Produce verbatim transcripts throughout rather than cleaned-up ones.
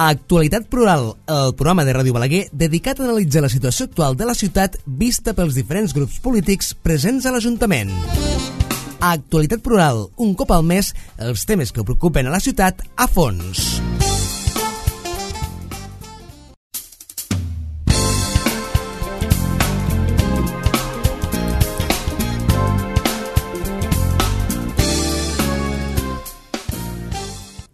Actualitat Plural, el programa de Ràdio Balaguer dedicat a analitzar la situació actual de la ciutat vista pels diferents grups polítics presents a l'Ajuntament. Actualitat Plural, un cop al mes, els temes que preocupen a la ciutat a fons.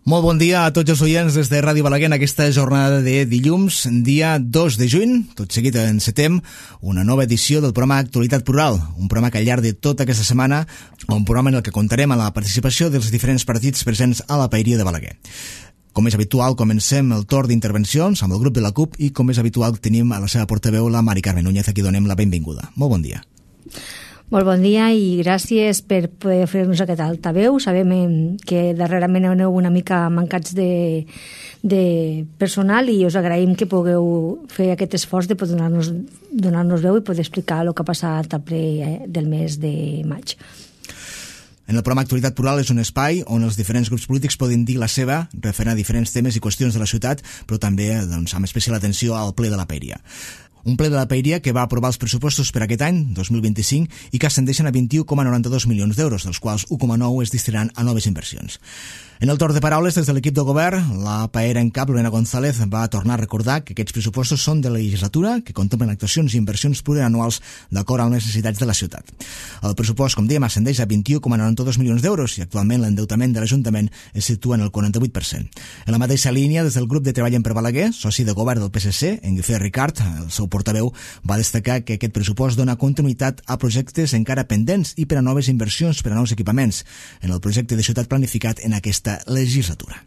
Molt bon dia a tots els oients des de Ràdio Balaguer en aquesta jornada de dilluns, dia dos de juny. Tot seguit encetem una nova edició del programa Actualitat Plural, un programa que al llarg de tota aquesta setmana, un programa en el que comptarem amb la participació dels diferents partits presents a la paeria de Balaguer. Com és habitual, comencem el torn d'intervencions amb el grup de la CUP i, com és habitual, tenim a la seva portaveu la Mari Carmen Núñez, a qui donem la benvinguda. Molt bon dia. Molt bon dia i gràcies per poder fer-nos aquest altaveu. Sabem que darrerament aneu una mica mancats de, de personal i us agraïm que pugueu fer aquest esforç de poder donar-nos donar-nos veu i poder explicar el que ha passat al ple del mes de maig. En el programa Actualitat Plural és un espai on els diferents grups polítics poden dir la seva referent a diferents temes i qüestions de la ciutat, però també doncs, amb especial atenció al ple de la paeria. Un ple de la paeria que va aprovar els pressupostos per aquest any, dos mil vint-i-cinc, i que ascendeixen a vint-i-u coma noranta-dos milions d'euros, dels quals u coma nou es destinaran a noves inversions. En el torn de paraules, des de l'equip de govern, la paera en cap, Lorena González, va tornar a recordar que aquests pressupostos són de la legislatura, que contemplen actuacions i inversions plurianuals d'acord amb les necessitats de la ciutat. El pressupost, com dèiem, ascendeix a vint-i-u coma noranta-dos milions d'euros i actualment l'endeutament de l'Ajuntament es situa en el quaranta-vuit per cent. En la mateixa línia, des del grup de Treballen per Balaguer, soci de govern del P S C, en Guifré Ricard, el seu portaveu, va destacar que aquest pressupost dona continuïtat a projectes encara pendents i per a noves inversions, per a nous equipaments, en el projecte de ciutat planificat en aquesta legislatura.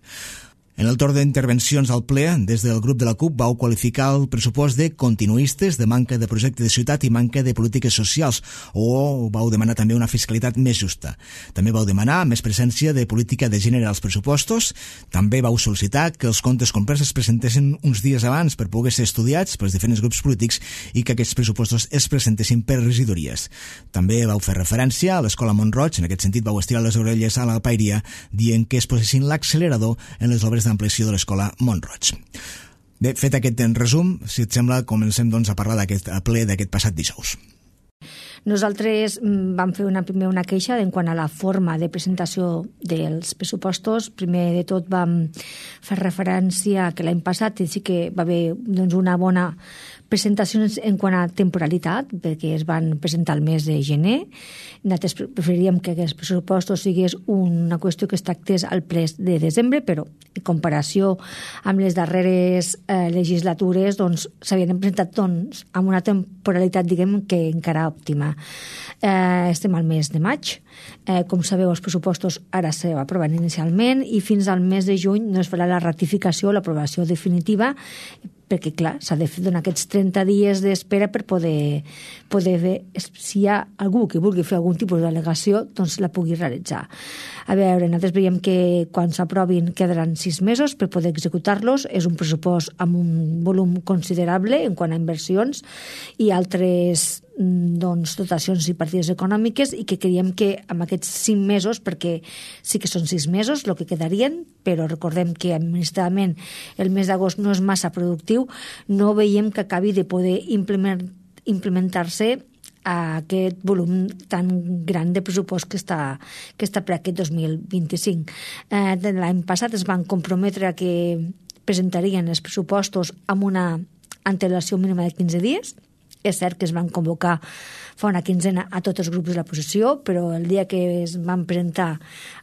En el torn d'intervencions al ple, des del grup de la CUP vau qualificar el pressupost de continuistes, de manca de projecte de ciutat i manca de polítiques socials, o vau demanar també una fiscalitat més justa. També vau demanar més presència de política de gènere als pressupostos, també vau sol·licitar que els comptes complets es presentessin uns dies abans per poder ser estudiats pels diferents grups polítics i que aquests pressupostos es presentessin per regidories. També vau fer referència a l'Escola Mont-roig, en aquest sentit vau estirar les orelles a la paeria dient que es posessin l'accelerador en les obres d'ampliació de l'Escola Mont-roig. Bé, fet aquest resum, si et sembla, comencem doncs, a parlar d'aquest ple d'aquest passat dijous. Nosaltres vam fer una, primer una queixa en quant a la forma de presentació dels pressupostos. Primer de tot vam fer referència que l'any passat sí que va haver doncs, una bona presentació en quant a temporalitat, perquè es van presentar el mes de gener. Nosaltres preferiríem que aquests pressupostos sigués una qüestió que es tractés al ple de desembre, però en comparació amb les darreres eh, legislatures doncs, s'havien presentat doncs, amb una temporalitat diguem que encara òptima. Eh, estem al mes de maig. Eh, com sabeu, els pressupostos ara s'aproven inicialment i fins al mes de juny no es farà la ratificació o l'aprovació definitiva, perquè, clar, s'ha de fer donar aquests trenta dies d'espera per poder, poder fer, si hi ha algú que vulgui fer algun tipus d'al·legació, doncs la pugui realitzar. A veure, nosaltres veiem que quan s'aprovin quedaran sis mesos per poder executar-los. És un pressupost amb un volum considerable en quant a inversions i altres doncs, dotacions i partides econòmiques i que creiem que amb aquests cinc mesos, perquè sí que són sis mesos el que quedarien, però recordem que administrativament el mes d'agost no és massa productiu, no veiem que acabi de poder implement, implementar-se a aquest volum tan gran de pressupost que està, que està per aquest dos mil vint-i-cinc. Eh, l'any passat es van comprometre a que presentarien els pressupostos amb una antelació mínima de quinze dies. És cert que es van convocar fa una quinzena a tots els grups de l'oposició, però el dia que es van presentar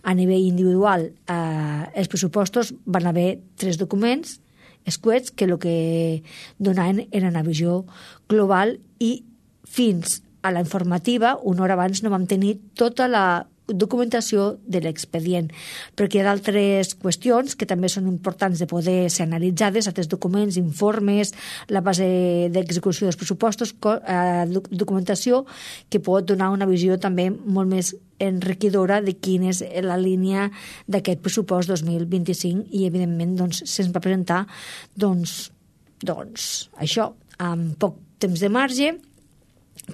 a nivell individual eh, els pressupostos van haver tres documents escuets que el que donaven era una visió global i fins a la informativa, una hora abans, no vam tenir tota la documentació de l'expedient, perquè hi ha d'altres qüestions que també són importants de poder ser analitzades, altres documents, informes, la base d'execució dels pressupostos, eh, documentació que pot donar una visió també molt més enriquidora de quina és la línia d'aquest pressupost dos mil vint-i-cinc i, evidentment, doncs, se'ns va presentar doncs, doncs, això, amb poc temps de marge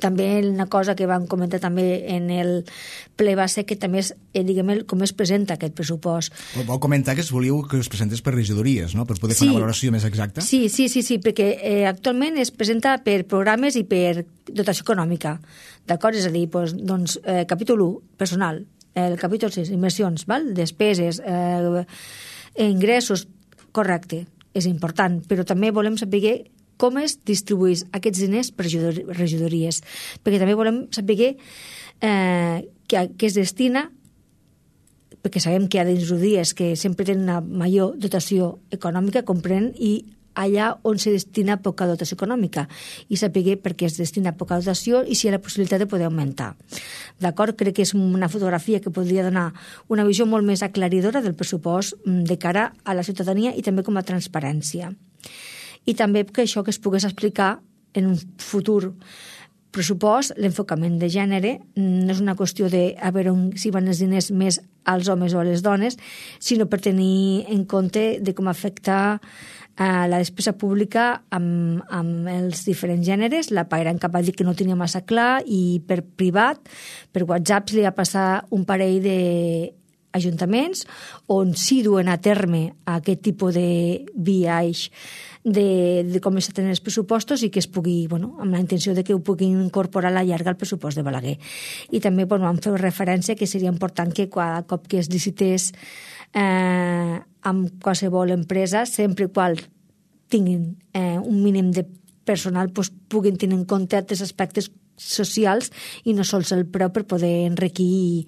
També una cosa que vam comentar també en el ple va ser que també és, eh, diguem, com es presenta aquest pressupost. Vau comentar que es volíeu que es presentés per regidories, no?, per poder fer sí. una valoració més exacta. Sí, sí, sí, sí, perquè eh, actualment es presenta per programes i per dotació econòmica, d'acord? És a dir, doncs, doncs eh, capítol u, personal, el capítol sis, inversions, val? Despeses, eh, ingressos, correcte, és important, però també volem saber com es distribueix aquests diners per regidories, perquè també volem saber eh, que, que es destina, perquè sabem que hi ha regidories que sempre tenen una major dotació econòmica, comprèn, i allà on se destina poca dotació econòmica, i saber per què es destina poca dotació i si hi ha la possibilitat de poder augmentar. D'acord? Crec que és una fotografia que podria donar una visió molt més aclaridora del pressupost de cara a la ciutadania i també com a transparència. I també que això que es pogués explicar en un futur pressupost, l'enfocament de gènere no és una qüestió de a veure on, si van els diners més als homes o a les dones, sinó per tenir en compte de com afecta eh, la despesa pública amb, amb els diferents gèneres. La Pairan cap va dir que no tenia massa clar i per privat, per WhatsApp, li va passar un parell de ajuntaments on sí duen a terme aquest tipus de viatge de, de com estan els pressupostos i que es pugui, bueno, amb la intenció de que ho puguin incorporar a la llarga al pressupost de Balaguer. I també, bueno, vam fer referència que seria important que cada cop que es licités eh, amb qualsevol empresa, sempre qual tinguin eh, un mínim de personal, pues, puguin tenir en compte altres aspectes socials i no sols el preu per poder enriquir i,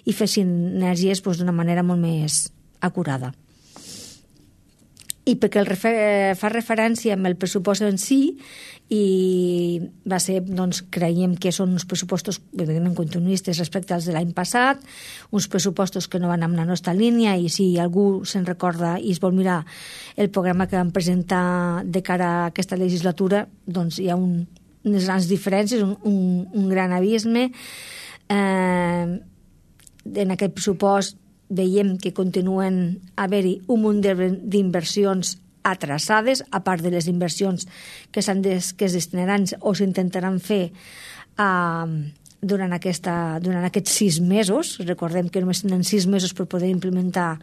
i fer sinergies pues, d'una manera molt més acurada. I perquè el refer, fa referència amb el pressupost en si i va ser, doncs, creiem que són uns pressupostos evidentment continuistes respecte als de l'any passat, uns pressupostos que no van amb la nostra línia i si algú se'n recorda i es vol mirar el programa que vam presentar de cara a aquesta legislatura, doncs hi ha un, unes grans diferències, un, un, un gran abisme. Eh, en aquest pressupost veiem que continuen a haver-hi un munt d'inversions atrasades, a part de les inversions que, des, que es destinaran o s'intentaran fer uh, durant, aquesta, durant aquests sis mesos. Recordem que només tenen sis mesos per poder implementar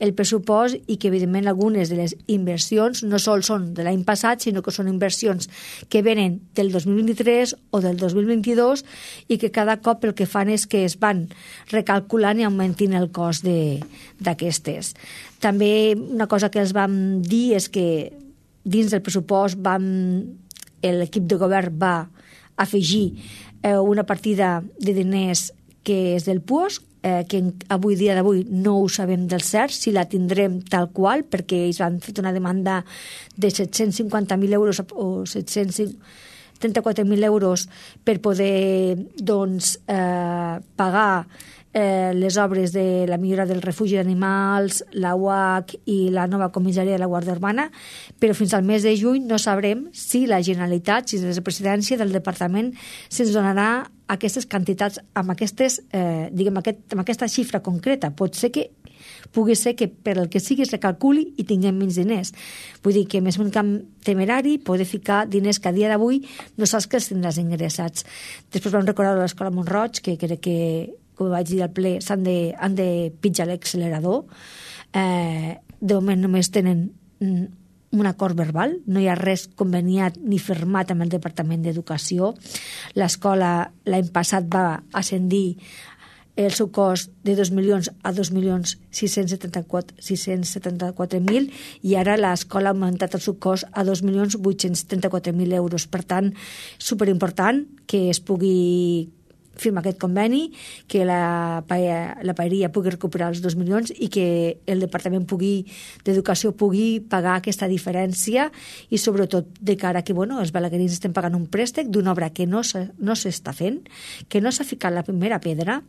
el pressupost i que, evidentment, algunes de les inversions no sols són de l'any passat, sinó que són inversions que venen del dos mil vint-i-tres o del dos mil vint-i-dos i que cada cop el que fan és que es van recalculant i augmentant el cost d'aquestes. També una cosa que els vam dir és que dins del pressupost vam, l'equip de govern va afegir eh, una partida de diners que és del P U O S, eh, que avui dia d'avui no ho sabem del cert, si la tindrem tal qual, perquè ells han fet una demanda de set-cents cinquanta mil euros o set-cents trenta-quatre mil euros per poder doncs, eh, pagar eh, les obres de la millora del refugi d'animals, la U H i la nova comissària de la Guàrdia Urbana, però fins al mes de juny no sabrem si la Generalitat, si la presidència del departament se'ns donarà aquestes quantitats amb, aquestes, eh, diguem, aquest, amb aquesta xifra concreta. Pot ser que pugui ser que per el que sigui es recalculi i tinguem menys diners. Vull dir que més un camp temerari poder ficar diners que a dia d'avui no saps que els tindràs ingressats. Després vam recordar l'escola Montroig, que crec que, com vaig dir al ple, s'han de, han de pitjar l'accelerador. Eh, de moment només tenen un acord verbal, no hi ha res conveniat ni firmat amb el Departament d'Educació. L'escola l'any passat va ascendir el seu cost de dos milions a dos milions sis-cents setanta-quatre mil i ara l'escola ha augmentat el seu cost a dos milions vuit-cents trenta-quatre mil euros. Per tant, superimportant que es pugui firma aquest conveni, que la, la paeria pugui recuperar els dos milions i que el Departament pugui, d'Educació pugui pagar aquesta diferència i sobretot de cara que bueno, els balaguerins estem pagant un préstec d'una obra que no s'està fent, que no s'ha ficat la primera pedra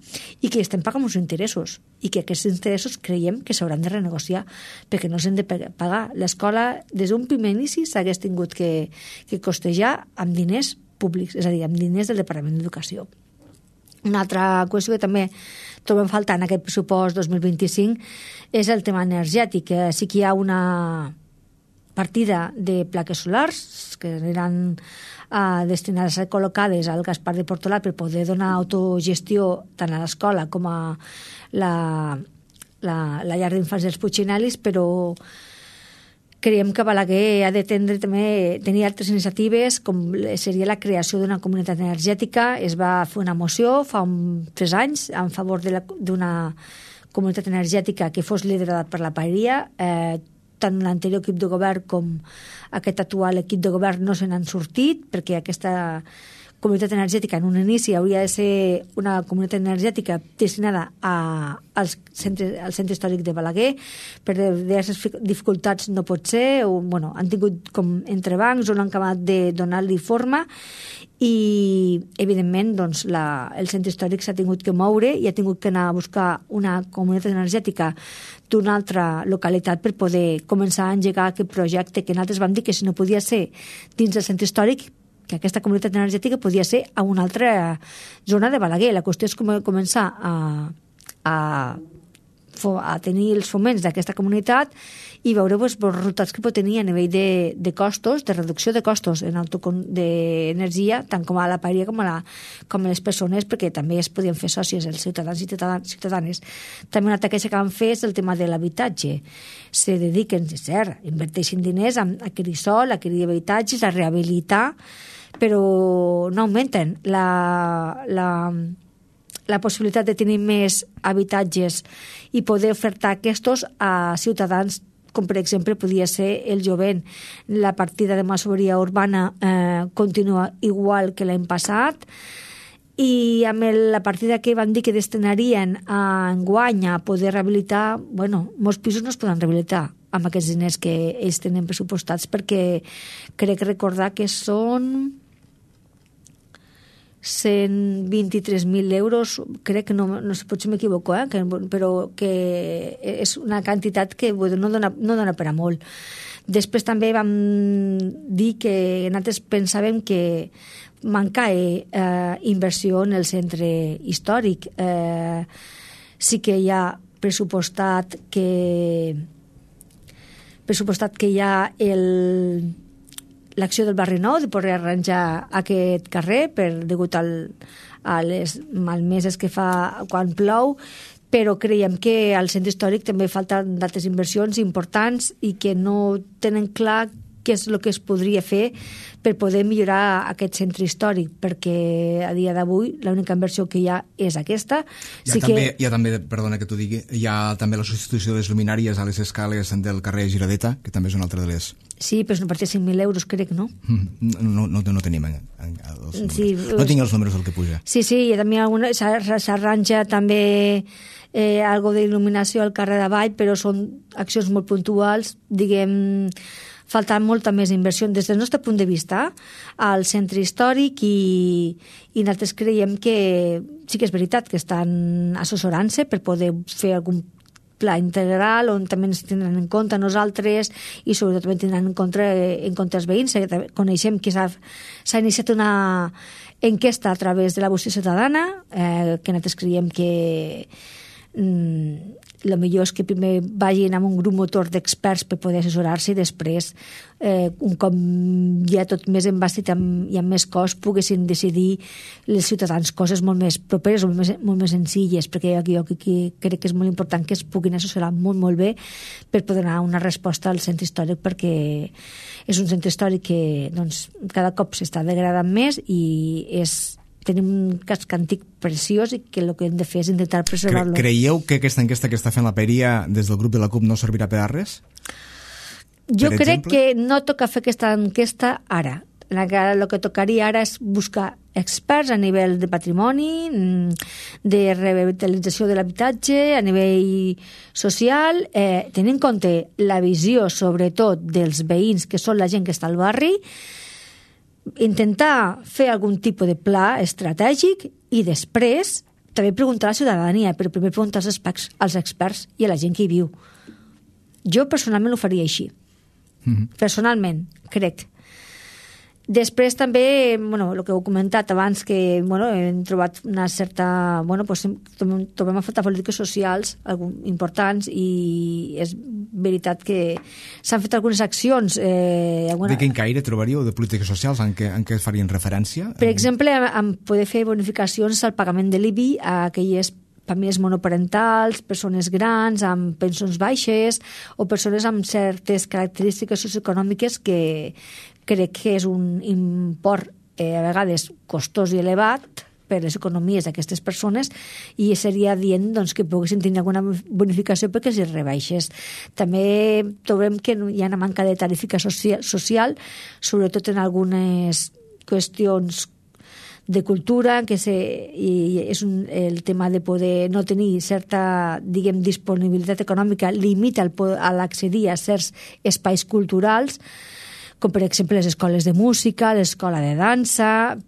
i que estem pagant uns interessos i que aquests interessos creiem que s'hauran de renegociar perquè no s'han de pagar. L'escola des d'un primer inici s'hagués tingut que, que costejar amb diners públics, és a dir, amb diners del Departament d'Educació. Una altra qüestió que també trobem faltar en aquest pressupost dos mil vint-i-cinc és el tema energètic. Sí que hi ha una, partida de plaques solars que eren uh, destinades a ser col·locades al Gaspar de Portolà per poder donar autogestió tant a l'escola com a la, la, la llar d'infants dels Puigginellis, però creiem que Balaguer ha de tendre, també tenir altres iniciatives, com seria la creació d'una comunitat energètica. Es va fer una moció fa un, tres anys en favor d'una comunitat energètica que fos liderada per la paeria. Eh, tant l'anterior equip de govern com aquest actual equip de govern no se n'han sortit, perquè aquesta comunitat energètica en un inici hauria de ser una comunitat energètica destinada a, als centre, al centre històric de Balaguer. Per diverses dificultats no pot ser, o, bueno, han tingut com entrebancs o no han acabat de donar-li forma, i evidentment doncs, la, el centre històric s'ha tingut que moure i ha tingut que anar a buscar una comunitat energètica d'una altra localitat per poder començar a engegar aquest projecte, que nosaltres vam dir que si no podia ser dins del centre històric, que aquesta comunitat energètica podia ser a una altra zona de Balaguer. La qüestió és com començar a, a, a tenir els foments d'aquesta comunitat i veure doncs, els resultats que pot tenir a nivell de, de costos, de reducció de costos en d'energia, tant com a la paeria com a, la, com a les persones, perquè també es podien fer sòcies els ciutadans i ciutadanes. També una altra queixa que van fer és el tema de l'habitatge. Se dediquen, és cert, inverteixen diners a adquirir sol, a adquirir habitatges, a rehabilitar, però no augmenten la, la, la possibilitat de tenir més habitatges i poder ofertar aquests a ciutadans, com per exemple podia ser el jovent. La partida de masoveria urbana eh, continua igual que l'any passat, i amb el, la partida que van dir que destinarien a enguany a poder rehabilitar, bueno, molts pisos no es poden rehabilitar amb aquests diners que ells tenen pressupostats, perquè crec recordar que són cent vint-i-tres mil euros, crec que no, no sé, potser m'equivoco, eh? que, però que és una quantitat que bueno, no, dona, no dona per a molt. Després també vam dir que nosaltres pensàvem que mancava eh, inversió en el centre històric. Eh, sí que hi ha pressupostat que pressupostat que hi ha el l'acció del barri nou de poder arranjar aquest carrer per degut al, a les malmeses que fa quan plou, però creiem que al centre històric també falten d'altres inversions importants i que no tenen clar què és el que es podria fer per poder millorar aquest centre històric, perquè a dia d'avui l'única inversió que hi ha és aquesta. Hi ha, sí també, que... hi ha també, perdona que t'ho digui, hi ha també la substitució de les luminàries a les escales del carrer Giradeta, que també és una altra de les... Sí, però és una partida de cinc mil euros, crec, no? No, no, no tenim els números. Sí, no tinc els números del que puja. Sí, sí, i també s'arranja també eh, algo d'il·luminació al carrer d'avall, però són accions molt puntuals, diguem... falta molta més inversió des del nostre punt de vista al centre històric, i, i nosaltres creiem que sí que és veritat que estan assessorant-se per poder fer algun pla integral on també ens tindran en compte nosaltres i sobretot també tindran en compte, en compte els veïns. Coneixem que s'ha, s'ha iniciat una enquesta a través de la vostra ciutadana, eh, que nosaltres creiem que mm, el millor és que primer vagin amb un grup motor d'experts per poder assessorar-se i després, eh, un cop ja tot més embastit amb, i amb més cost, poguessin decidir els ciutadans coses molt més properes o molt més, molt més senzilles, perquè jo que, que crec que és molt important que es puguin assessorar molt, molt bé per poder donar una resposta al centre històric, perquè és un centre històric que doncs, cada cop s'està degradant més i és... tenim un casc antic preciós i que el que hem de fer és intentar preservar-lo. Cre creieu que aquesta enquesta que està fent la paeria des del grup de la CUP no servirà per a res? Jo per crec exemple? que no toca fer aquesta enquesta ara. El que tocaria ara és buscar experts a nivell de patrimoni, de revitalització de l'habitatge, a nivell social, eh, tenint en compte la visió, sobretot, dels veïns, que són la gent que està al barri, intentar fer algun tipus de pla estratègic i després també preguntar a la ciutadania, però primer preguntar als experts, als experts i a la gent que hi viu. Jo personalment ho faria així. Mm-hmm. Personalment, crec. Després també, bueno, el que heu comentat abans, que bueno, hem trobat una certa... Bueno, pues, trobem a faltar polítiques socials importants i és veritat que s'han fet algunes accions. Eh, alguna... De quin caire trobaríeu de polítiques socials en què, en què farien referència? Per exemple, en poder fer bonificacions al pagament de l'I B I a aquelles famílies monoparentals, persones grans amb pensions baixes o persones amb certes característiques socioeconòmiques que crec que és un import eh, a vegades costós i elevat per les economies d'aquestes persones i seria dient doncs, que poguessin tenir alguna bonificació perquè els rebaixes. També trobem que hi ha una manca de tarifica social, social sobretot en algunes qüestions de cultura, que se, i és un, el tema de poder no tenir certa, diguem, disponibilitat econòmica limita a l'accedir a certs espais culturals, com per exemple les escoles de música, l'escola de dansa.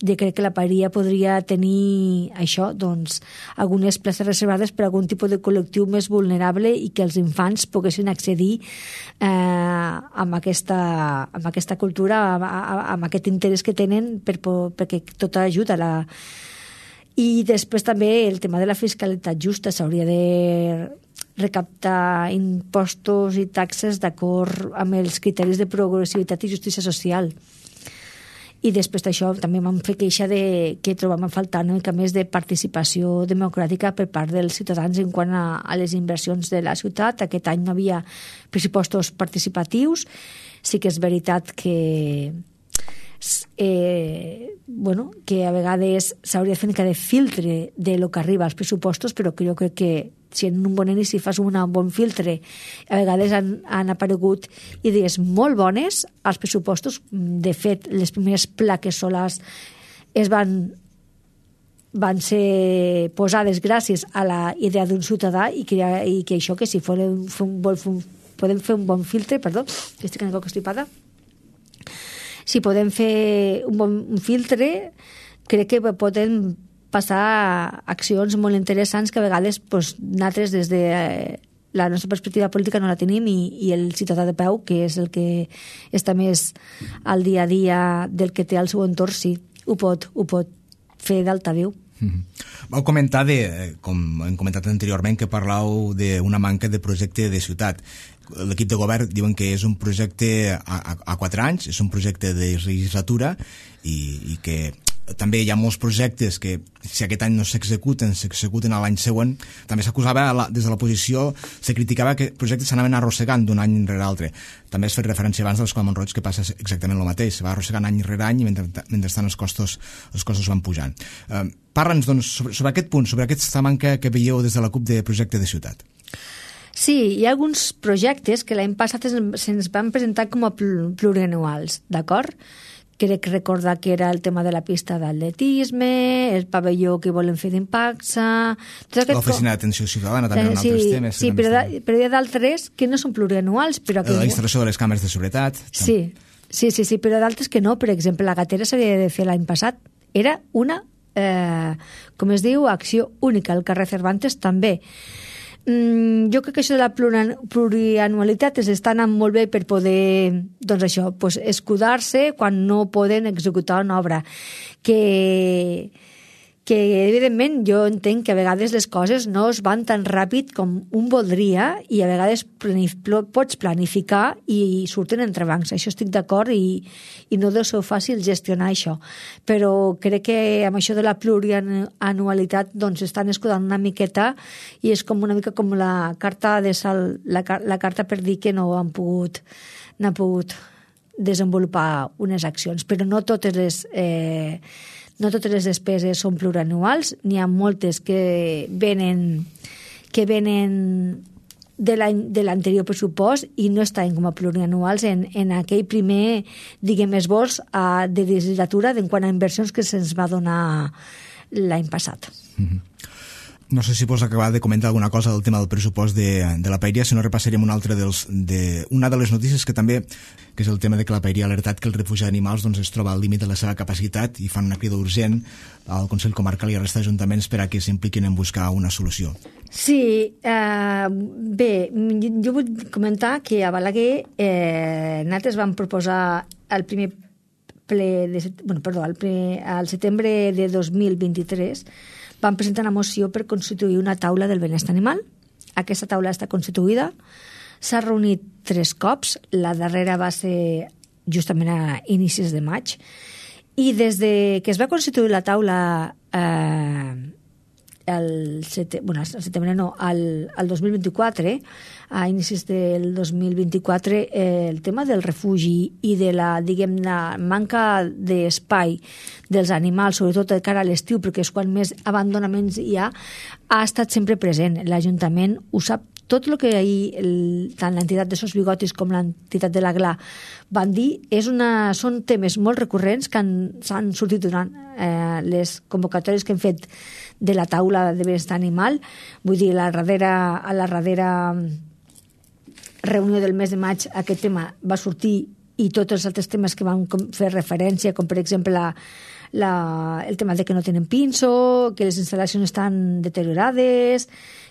Jo crec que la paeria podria tenir això, doncs, algunes places reservades per a algun tipus de col·lectiu més vulnerable i que els infants poguessin accedir eh, amb, aquesta, amb aquesta cultura, amb, amb aquest interès que tenen, per, perquè tot ajuda a la... I després també el tema de la fiscalitat justa, s'hauria de recaptar impostos i taxes d'acord amb els criteris de progressivitat i justícia social. I després d'això també vam fer queixa de que trobàvem a faltar una mica més de participació democràtica per part dels ciutadans en quant a, a les inversions de la ciutat. Aquest any no havia pressupostos participatius. Sí que és veritat que eh, bueno, que a vegades s'hauria de fer una mica de filtre de lo que arriba als pressupostos, però que jo crec que si en un bon inici fas un bon filtre, a vegades han, han aparegut idees molt bones als pressupostos. De fet, les primeres plaques solars es van, van ser posades gràcies a la idea d'un ciutadà i que, i que això, que si podem fer un, bon, podem fer un bon filtre, perdó, que estic una mica constipada, si podem fer un bon un filtre, crec que podem passar accions molt interessants que a vegades pues, nosaltres des de eh, la nostra perspectiva política no la tenim i, i el ciutadà de peu, que és el que està més al dia a dia del que té al seu entorn, sí, ho pot, ho pot fer d'altaveu. Mm-hmm. Vau comentar, de, com hem comentat anteriorment, que parlau d'una manca de projecte de ciutat. L'equip de govern diuen que és un projecte a, a, a quatre anys, és un projecte de legislatura i, i que també hi ha molts projectes que si aquest any no s'executen, s'executen a l'any següent. També s'acusava, des de l'oposició, se criticava que projectes s'anaven arrossegant d'un any rere l'altre. També has fet referència abans de l'Escola Mont-roig, que passa exactament el mateix, se va arrossegant any rere any i mentre, mentrestant els costos, els costos van pujant. Eh, Parla'ns doncs, sobre, sobre aquest punt, sobre aquesta manca que veieu des de la CUP de projecte de ciutat. Sí, hi ha alguns projectes que l'any passat se'ns van presentar com a plurianuals, d'acord? Crec recordar que era el tema de la pista d'atletisme, el pavelló que volen fer d'Impacsa... L'oficina d'atenció ciutadana també en sí, altres temes. Sí, però, da, però hi ha d'altres que no són plurianuals. Però que... La instal·lació de les càmeres de seguretat. Sí, sí, sí, sí, però d'altres que no. Per exemple, la gatera s'havia de fer l'any passat. Era una, eh, com es diu, acció única. El carrer Cervantes també. Mm, jo crec que això de la plurianualitat es està anant molt bé per poder, doncs això, pues, escudar-se quan no poden executar una obra. Que, que evidentment jo entenc que a vegades les coses no es van tan ràpid com un voldria i a vegades planif pots planificar i surten entrebancs. Això estic d'acord i, i no deu ser fàcil gestionar això. Però crec que amb això de la plurianualitat doncs estan escudant una miqueta i és com una mica com la carta de sal, la, la carta per dir que no han pogut, no han pogut desenvolupar unes accions. Però no totes les... Eh, No totes les despeses són plurianuals, n'hi ha moltes que venen, que venen de l'anterior pressupost i no estan com a plurianuals en, en aquell primer, diguem, esbós a, de legislatura en quant a inversions que se'ns va donar l'any passat. Mm-hmm. No sé si vols acabar de comentar alguna cosa del tema del pressupost de, de la Paeria, si no repassarem una altra dels, de, una de les notícies que també, que és el tema de que la Paeria ha alertat que el refugi d'animals doncs, es troba al límit de la seva capacitat i fan una crida urgent al Consell Comarcal i a resta d'ajuntaments per a que s'impliquin en buscar una solució. Sí, eh, bé, jo vull comentar que a Balaguer eh, nosaltres vam proposar el primer ple de, bueno, perdó, al, ple, al setembre de dos mil vint-i-tres van presentar una moció per constituir una taula del benestar animal. Aquesta taula està constituïda, s'ha reunit tres cops, la darrera va ser justament a inicis de maig, i des de que es va constituir la taula eh, el, sete, bueno, el setembre no, al, al dos mil vint-i-quatre, a inicis del dos mil vint-i-quatre, eh, el tema del refugi i de la, diguem, la manca d'espai dels animals, sobretot de cara a l'estiu, perquè és quan més abandonaments hi ha, ha estat sempre present. L'Ajuntament ho sap. Tot el que ahir el, tant l'entitat de Sos Bigotis com l'entitat de la G L A van dir és una, són temes molt recurrents que han, s'han sortit durant eh, les convocatòries que hem fet de la taula de benestar animal. Vull dir, la darrera, a la darrera reunió del mes de maig aquest tema va sortir, i tots els altres temes que van fer referència, com per exemple la, la, el tema de que no tenen pinso, que les instal·lacions estan deteriorades,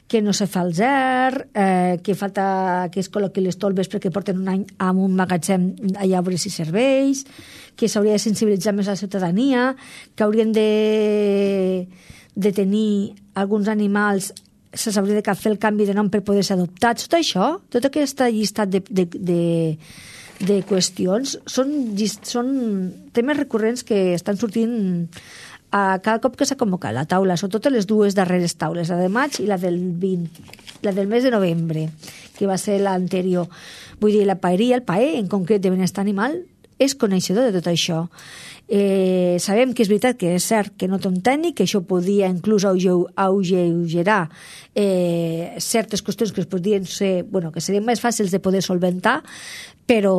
que no se fa el zer, eh, que falta que es col·loqui les tolves perquè porten un any amb un magatzem allà obres i serveis, que s'hauria de sensibilitzar més a la ciutadania, que haurien de, de tenir alguns animals, se s'hauria de fer el canvi de nom per poder ser adoptats. Tot això, tota aquesta llistat de, de, de, de qüestions són, són temes recurrents que estan sortint a cada cop que s'ha convocat la taula, sobretot les dues darreres taules, la de maig i la del vint, la del mes de novembre, que va ser l'anterior. Vull dir, la paeria, el paer, en concret de benestar animal, és coneixedor de tot això. Eh, sabem que és veritat que és cert que no té un tècnic, que això podia inclús augerar eh, certes qüestions que es podrien ser, bueno, que serien més fàcils de poder solventar, però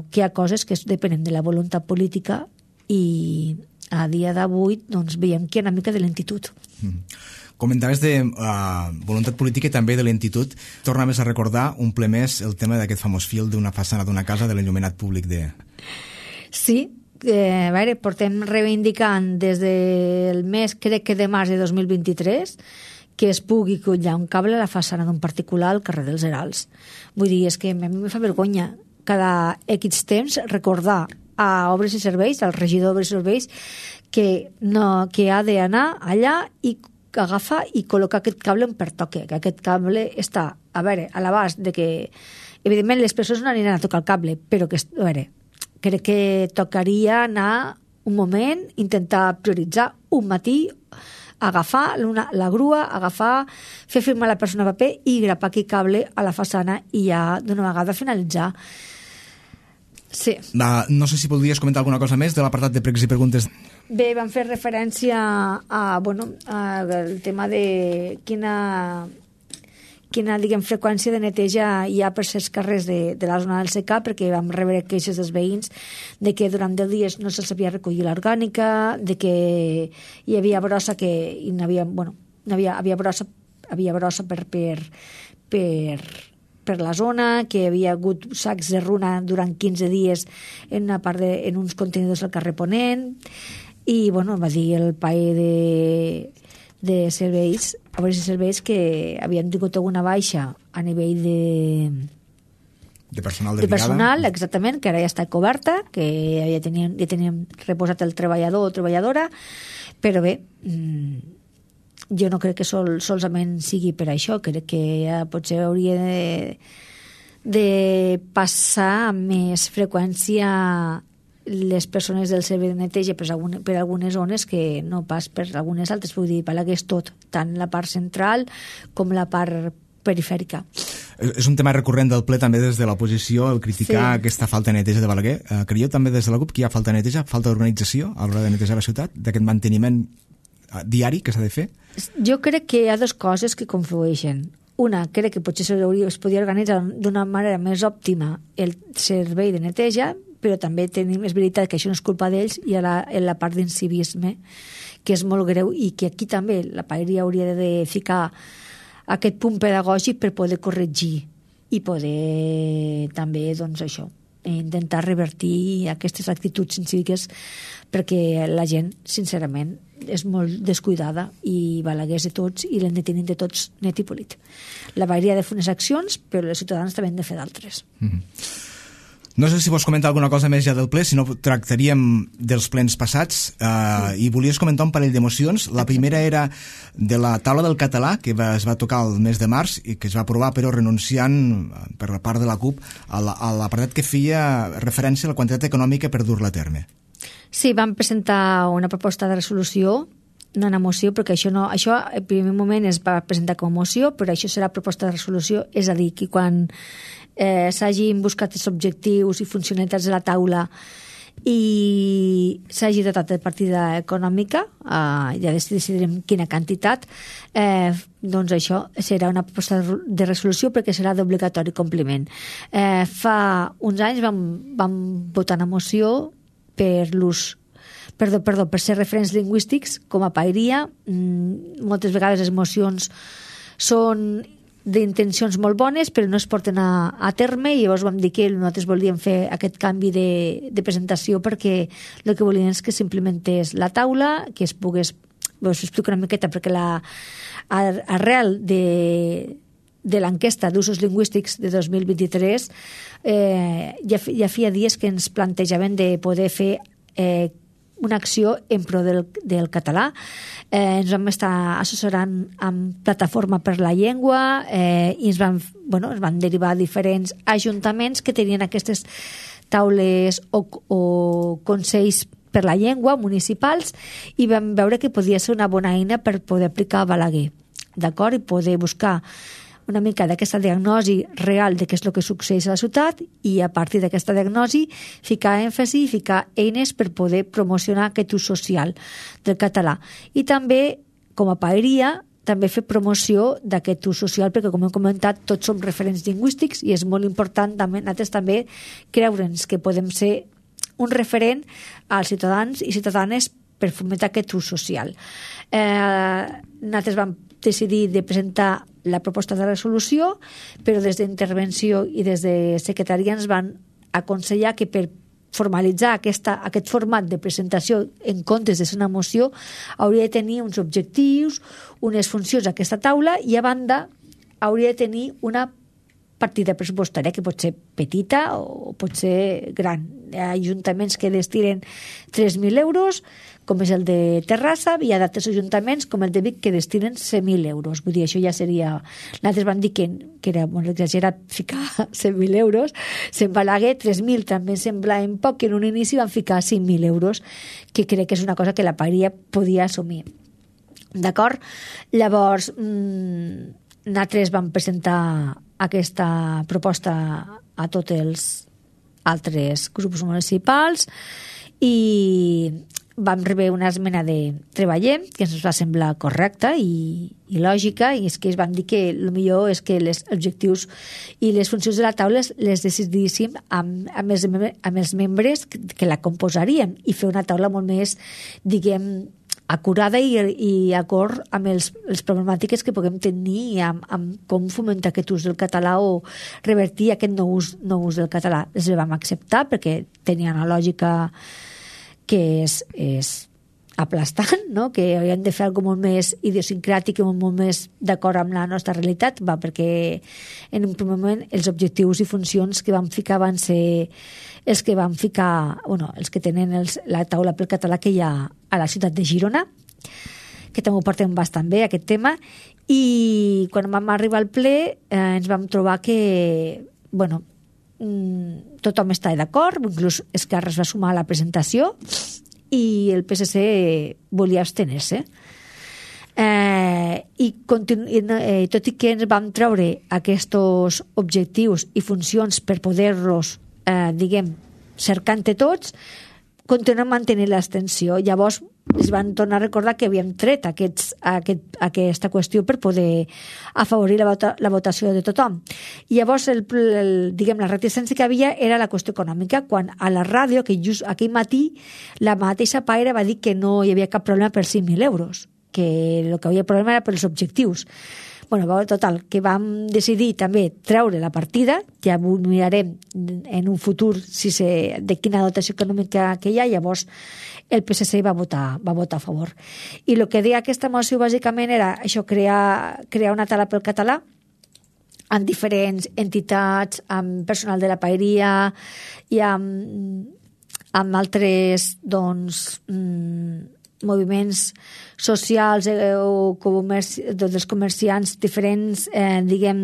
que hi ha coses que depenen de la voluntat política i a dia d'avui doncs, veiem que hi ha una mica de lentitud. Mm. Comentaves de uh, voluntat política i també de lentitud. Torna més a recordar un ple més el tema d'aquest famós fil d'una façana d'una casa de l'enllumenat públic de... Sí, eh, a veure, portem reivindicant des del mes, crec que de març de dos mil vint-i-tres, que es pugui collar un cable a la façana d'un particular al carrer dels Herals. Vull dir, és que a mi em fa vergonya cada X temps recordar a Obres i Serveis, al regidor d'Obres i Serveis, que, no, que ha d'anar allà i agafar i col·locar aquest cable on pertoque, que aquest cable està, a veure, a l'abast de que, evidentment, les persones no aniran a tocar el cable, però que, a veure, crec que tocaria anar un moment, intentar prioritzar un matí, agafar una, la grua, agafar, fer firmar la persona a paper i grapar aquest cable a la façana i ja d'una vegada finalitzar. Sí. Va, no sé si podries comentar alguna cosa més de l'apartat de pregs i preguntes. Bé, vam fer referència a, bueno, a el tema de quina, quina diguem, freqüència de neteja hi ha per certs carrers de, de la zona del secà, perquè vam rebre queixes dels veïns de que durant deu dies no se'ls havia recollit l'orgànica, de que hi havia brossa que hi havia, bueno, hi havia, havia brossa, havia brossa per, per, per per la zona, que hi havia hagut sacs de runa durant quinze dies en, una part de, en uns contenidors al carrer Ponent, i bueno, va dir el paer de, de serveis, obres i serveis, que havien tingut alguna baixa a nivell de de personal de, de personal, exactament, que ara ja està coberta, que ja teníem, ja teníem reposat el treballador o treballadora, però bé, mmm, jo no crec que sol, solament sigui per això, crec que ja potser hauria de, de passar amb més freqüència les persones del servei de neteja per, alguna, per algunes zones que no pas per algunes altres, vull dir, Balaguer és tot, tant la part central com la part perifèrica. És un tema recurrent del ple també des de l'oposició, el criticar sí. aquesta falta de neteja de Balaguer. Eh, creieu també des de la CUP que hi ha falta de neteja, falta d'organització a l'hora de netejar la ciutat, d'aquest manteniment diari que s'ha de fer? Jo crec que hi ha dues coses que conflueixen. Una, crec que potser es podria organitzar d'una manera més òptima el servei de neteja, però també tenim, és veritat que això no és culpa d'ells, i a la, en la part d'incivisme, que és molt greu, i que aquí també la paeria hauria de ficar aquest punt pedagògic per poder corregir i poder també, doncs això, intentar revertir aquestes actituds incíviques, perquè la gent, sincerament, és molt descuidada i Balaguer és de tots i l'hem de tenir de tots net i polit. La paeria ha de fer unes accions, però els ciutadans també han de fer d'altres. Mm-hmm. No sé si vols comentar alguna cosa més ja del ple, si no tractaríem dels plens passats, eh, i volies comentar un parell d'emocions. La primera era de la taula del català, que va, es va tocar el mes de març i que es va aprovar, però renunciant per la part de la CUP a l'apartat que feia referència a la quantitat econòmica per dur-la a terme. Sí, vam presentar una proposta de resolució, no una moció, perquè això no, això en primer moment es va presentar com a moció, però això serà proposta de resolució, és a dir, que quan eh, s'hagin buscat els objectius i funcionalitats de la taula i s'hagi dotat de partida econòmica, eh, ja decidirem quina quantitat, eh, doncs això serà una proposta de resolució perquè serà d'obligatori compliment. Eh, fa uns anys vam, vam votar una moció per l'ús Perdó, perdó, per ser referents lingüístics com a paeria. Mm, moltes vegades les mocions són d'intencions molt bones però no es porten a, a terme, i llavors vam dir que nosaltres volíem fer aquest canvi de, de presentació perquè el que volíem és que s'implementés la taula, que es pogués, us explico una miqueta, perquè la, arrel de de l'enquesta d'usos lingüístics de dos mil vint-i-tres eh, ja, ja feia dies que ens plantejaven de poder fer eh, una acció en pro del, del català. Eh, ens vam estar assessorant amb Plataforma per la Llengua eh, i ens van, bueno, ens van derivar diferents ajuntaments que tenien aquestes taules o, o consells per la llengua municipals, i vam veure que podia ser una bona eina per poder aplicar a Balaguer, d'acord? I poder buscar una mica d'aquesta diagnosi real de què és el que succeeix a la ciutat, i a partir d'aquesta diagnosi ficar èmfasi i ficar eines per poder promocionar aquest ús social del català. I també, com a paeria, també fer promoció d'aquest ús social, perquè, com hem comentat, tots som referents lingüístics i és molt important també, nosaltres també creure'ns que podem ser un referent als ciutadans i ciutadanes per fomentar aquest ús social. Eh, nosaltres vam decidir de presentar la proposta de resolució, però des d'intervenció i des de secretaria ens van aconsellar que per formalitzar aquesta, aquest format de presentació en comptes de ser una moció hauria de tenir uns objectius, unes funcions a aquesta taula, i a banda hauria de tenir una partida pressupostària que pot ser petita o pot ser gran. Hi ha ajuntaments que destinen tres mil euros, com és el de Terrassa, i hi ha d'altres ajuntaments, com el de Vic, que destinen cent mil euros. Vull dir, això ja seria... Nosaltres vam dir que, que era molt exagerat ficar cent mil euros. Se'n Balaguer, tres mil també semblaven poc, que en un inici van ficar cinc mil euros, que crec que és una cosa que la paeria podia assumir. D'acord? Llavors, mmm, nosaltres vam presentar aquesta proposta a tots els altres grups municipals i vam rebre una esmena de Treballem, que ens va semblar correcta i, i lògica, i és que es van dir que el millor és que els objectius i les funcions de la taula les decidíssim amb, amb, els, amb els membres que, que la composarien, i fer una taula molt més, diguem, acurada i, i acord amb els, les problemàtiques que puguem tenir amb, amb com fomentar aquest ús del català o revertir aquest no ús, no ús del català. Les vam acceptar perquè tenia una lògica que és, és aplastant, no? Que hauríem de fer alguna molt més idiosincràtic i molt més d'acord amb la nostra realitat, va, perquè en un primer moment els objectius i funcions que vam ficar van ser els que van ficar, bueno, els que tenen els, la taula pel català que hi ha a la ciutat de Girona, que també ho portem bastant bé, aquest tema, i quan vam arribar al ple eh, ens vam trobar que, bueno, tothom està d'acord, inclús Esquerra es va sumar a la presentació i el P S C volia abstenir-se. Eh, i, continu, i eh, tot i que ens vam treure aquests objectius i funcions per poder-los, eh, diguem, cercant-te tots, continuem mantenint l'extensió. Llavors es van tornar a recordar que havíem tret aquests, aquest, aquesta qüestió per poder afavorir la, vota, la votació de tothom. I llavors el, el, diguem, la reticència que havia era la qüestió econòmica, quan a la ràdio, que just aquell matí la mateixa Paire va dir que no hi havia cap problema per cinc mil euros, que el que havia problema era pels objectius. Bueno, total, que vam decidir també treure la partida, ja ho mirarem en un futur si se, de quina dotació econòmica que hi ha, llavors el P S C va votar, va votar a favor. I el que deia aquesta moció bàsicament era això, crear, crear una taula pel català amb diferents entitats, amb personal de la paeria i amb, amb altres doncs, moviments socials eh, o comerci, dels comerciants diferents, eh, diguem,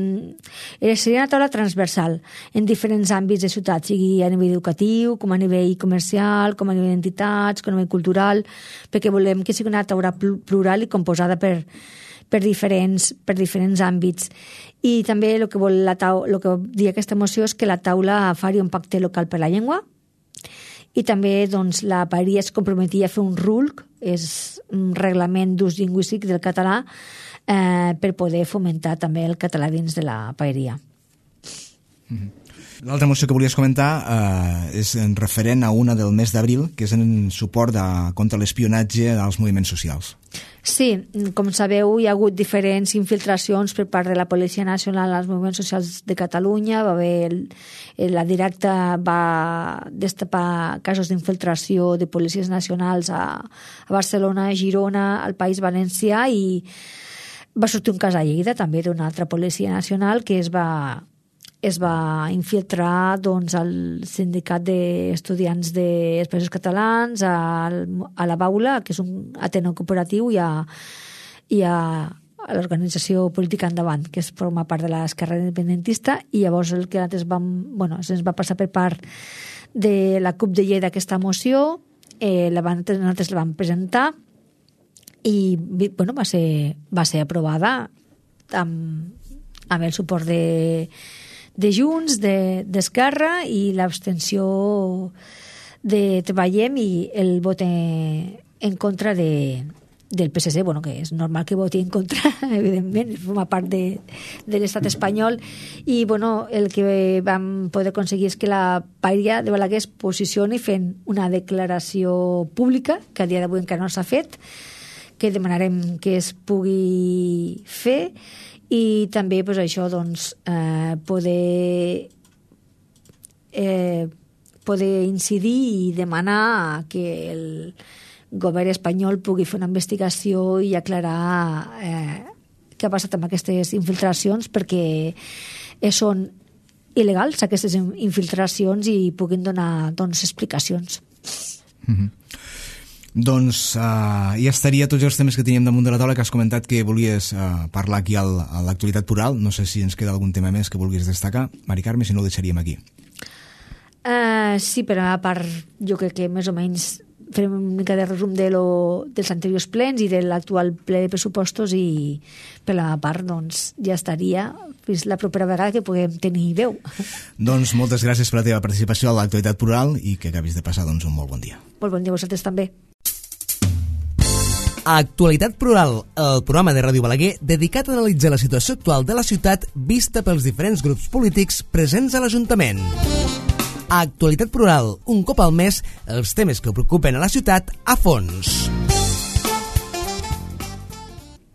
seria una taula transversal en diferents àmbits de ciutat, sigui a nivell educatiu, com a nivell comercial, com a nivell d'entitats, com a nivell cultural, perquè volem que sigui una taula plural i composada per, per, diferents, per diferents àmbits. I també el que vol la taula, el que diu aquesta moció és que la taula faria un pacte local per la llengua, i també doncs, la paeria es comprometia a fer un R U L C, és un reglament d'ús lingüístic del català, eh, per poder fomentar també el català dins de la paeria. Mm-hmm. L'altra moció que volies comentar eh, és en referent a una del mes d'abril, que és en suport de, contra l'espionatge als moviments socials. Sí, com sabeu, hi ha hagut diferents infiltracions per part de la Policia Nacional als moviments socials de Catalunya. Va haver el, la directa va destapar casos d'infiltració de policies nacionals a, a Barcelona, a Girona, al País Valencià, i va sortir un cas a Lleida també d'una altra Policia Nacional que es va es va infiltrar doncs, al sindicat d'estudiants dels Països Catalans, a, a la Baula, que és un Ateneu cooperatiu, i a, i a, a l'organització política Endavant, que es forma part de l'esquerra independentista, i llavors el que nosaltres vam, bueno, se'ns va passar per part de la CUP de Lleida aquesta moció, eh, la van, nosaltres la vam presentar i bueno, va ser, va ser aprovada amb, amb el suport de de Junts, d'Esquerra, de, i l'abstenció de Treballem i el vot en, en contra de, del P S C, bueno, que és normal que voti en contra, evidentment, forma part de, de l'estat espanyol, i bueno, el que vam poder aconseguir és que la paeria de Balaguer es posicioni fent una declaració pública, que a dia d'avui encara no s'ha fet, que demanarem que es pugui fer, i també pues, això doncs, eh, poder eh, poder incidir i demanar que el govern espanyol pugui fer una investigació i aclarar eh, què ha passat amb aquestes infiltracions, perquè són il·legals aquestes infiltracions i puguin donar doncs, explicacions. Mm-hmm. Doncs uh, ja estaria tots els temes que teníem damunt de la taula, que has comentat que volies uh, parlar aquí al, a l'actualitat plural. No sé si ens queda algun tema més que vulguis destacar, Mari Carme, si no ho deixaríem aquí. Uh, sí, però a part jo crec que més o menys farem una mica de resum de lo, dels anteriors plens i de l'actual ple de pressupostos, i per la part doncs, ja estaria fins la propera vegada que puguem tenir veu. Doncs moltes gràcies per la teva participació a l'actualitat plural i que acabis de passar doncs, un molt bon dia. Molt bon dia a vosaltres també. Actualitat Plural, el programa de Ràdio Balaguer dedicat a analitzar la situació actual de la ciutat vista pels diferents grups polítics presents a l'Ajuntament. Actualitat Plural, un cop al mes, els temes que preocupen a la ciutat a fons.